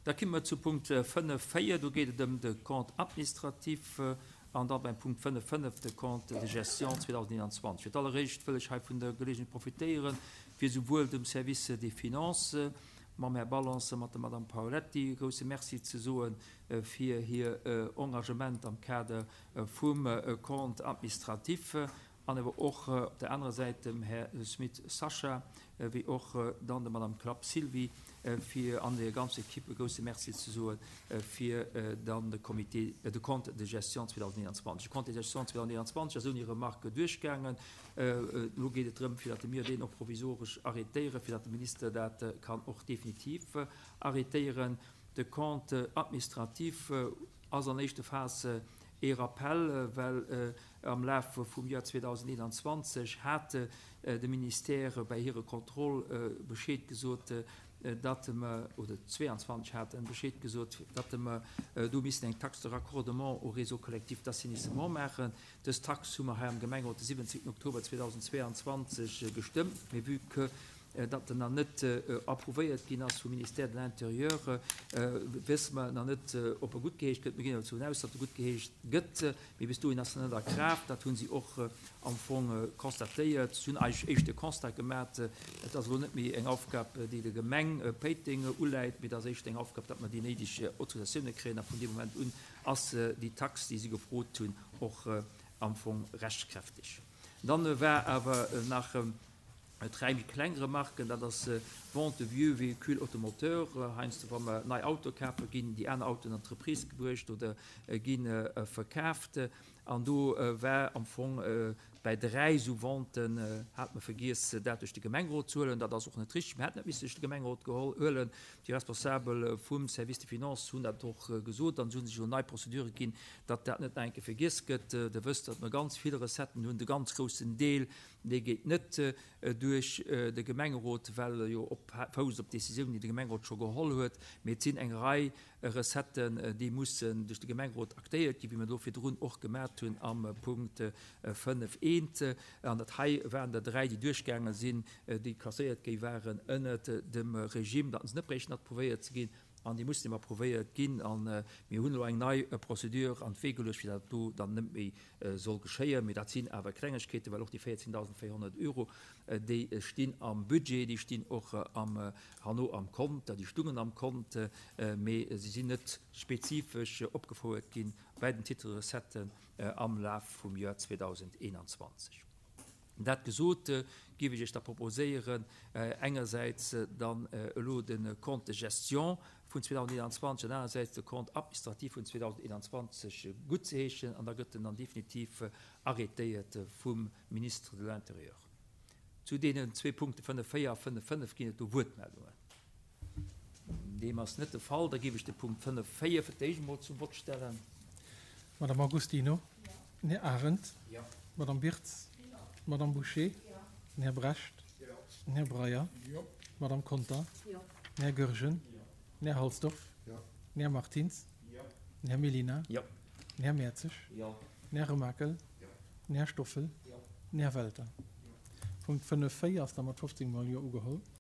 Da komme mer zu Punkt 5, 4. Do geet et ëm de Compte administratif an da beim Punkt 5, 5 de Compte de gestion 2021. Fir d'alleréischt wëll ech hei vun der Geleegenheet profitéieren, fir souwuel dem Service des Finances mam Här Balance a mat der Madame Paoletti e grouse Merci ze soe fir hir Engagement am Kader vum Compte administratif an awer och op der anerer Säit dem Här Smit Sascha wéi och dann der Madame Klapp Sylvie fir an der ganzer Equipe e grouse Merci ze soe fir dann de Comité, de Compte de gestion 2021. De Compte de gestion 2021 ass ouni Remarque duerchgaangen. Elo geet et drëm, fir datt mir deen och provisoresch arrétéieren, fir datt de Minister dat kann och definitiv arrétéieren. De Compte administratif ass an éischter Phas ee Rappel, well am Laf vum Joer 2021 hat de Ministère bäi hire Kontroll Bescheed gesot, datt mer, oder 22 hat en Bescheed gesot, datt mer do missten eng Taxe de raccordement au réseau collectif d'assainissement maachen. Dës Tax hu mer hei am Gemengerot de 17 Oktober 2022 gestëmmt, mee vue que datt en nach net approuvéiert ginn ass vum Ministère de l'Intérieur, wësse mer nach net, ob e guttgeheescht gëtt. Mir ginn awer dovun aus, datt e guttgeheescht gëtt, mee bis dohin ass en net a Kraaft. Dat hu si och am Fong constatéiert. Si hunn eigentlech éischt de Constat gemat, et ass elo net méi eng Aufgab, déi der Gemeng Péiteng uläit, mee et ass éischt eng Aufgab, datt mer déi néideg Autorisatioune kréien a vun deem Moment un ass déi Tax, déi si gefrot hunn, och am Fong rechtskräfteg. Dann war awer nach dräi méi kleng Remarken, dat ass d'Vente de vieux véhicules automoteurs, heiansdo wa mer nei Autoe kafen, ginn déi aner Autoen an d'Entreprise gebruecht oder gi verkaaft. An do war am Fong bäi dräi esou Venten, hat mer vergiess dat duerch de Gemengerot ze huelen. Dat ass och net richtig, mir hätten dat missen duerch de Gemengerot huelen. Déi Responsabel vum Service des Finances hunn dat och gesot an se hu sech elo nei Procédure ginn, datt dat net nach eng Kéier vergiess gëtt. Der wësst, datt mer ganz vill Recetten hunn, de ganz groussen Deel, dee geet net duerch de Gemengerot, well e jo op fousst op Décisioun, déi de Gemengerot scho geholl huet, mee et sinn eng Rei Recetten, déi mussen duerch de Gemengerot aktéiert ginn, wéi mer do virdrun och gemat hunn am Punkt 5 eent. An dat hei waren der dräi, déi duerchgaange sinn, déi klasséiert gi waren ënnert dem Regime, datt se net bréichten approuvéiert ze ginn. An déi mussen eben approuvéiert ginn. A mir hunn elo eng nei Procédure an d'Wee geluecht, fir datt dat do dann net méi soll geschéien. Mee dat sinn awer Klengegkeeten, well och déi 14.400 Euro, déi stinn am Budget, déi stinn och am, herno am Kont, déi stungen am Kont, mee se sinn net spezifesch opgefouert gi bäi den Titre recettes am Laf vum Joer 2021. Dat gesot, géif ech Iech da proposéieren, engersäits dann elo de Compte de gestion vun 2021 an anersäits de Compte administratif vun 2021 guttzeheeschen, an da gëtt en dann definitiv arrêtéiert vum Ministre de l'Intérieur. Zu deenen zwee Punkte 5.4 a 5.5 ginn et do Wuertmeldungen. Deem ass net de Fall. Da géif ech de Punkt 5.4 fir d'éischt emol zum Vott stellen. Madame Agostino. Den Här Arendt. D'Madame Birtz. D'Madame Bouché. Den Här Brecht. Den Här Breyer. D'Madame Conter. Den Här Goergen. Den Här Halsdorf. Den Här Martins. Den Här Mellina. Den Här Mertzig. Den Här Remakel. Den Här Stoffel. Den Här Welter. Punkt 5.4 ass da mat 15 mol Jo ugeholl.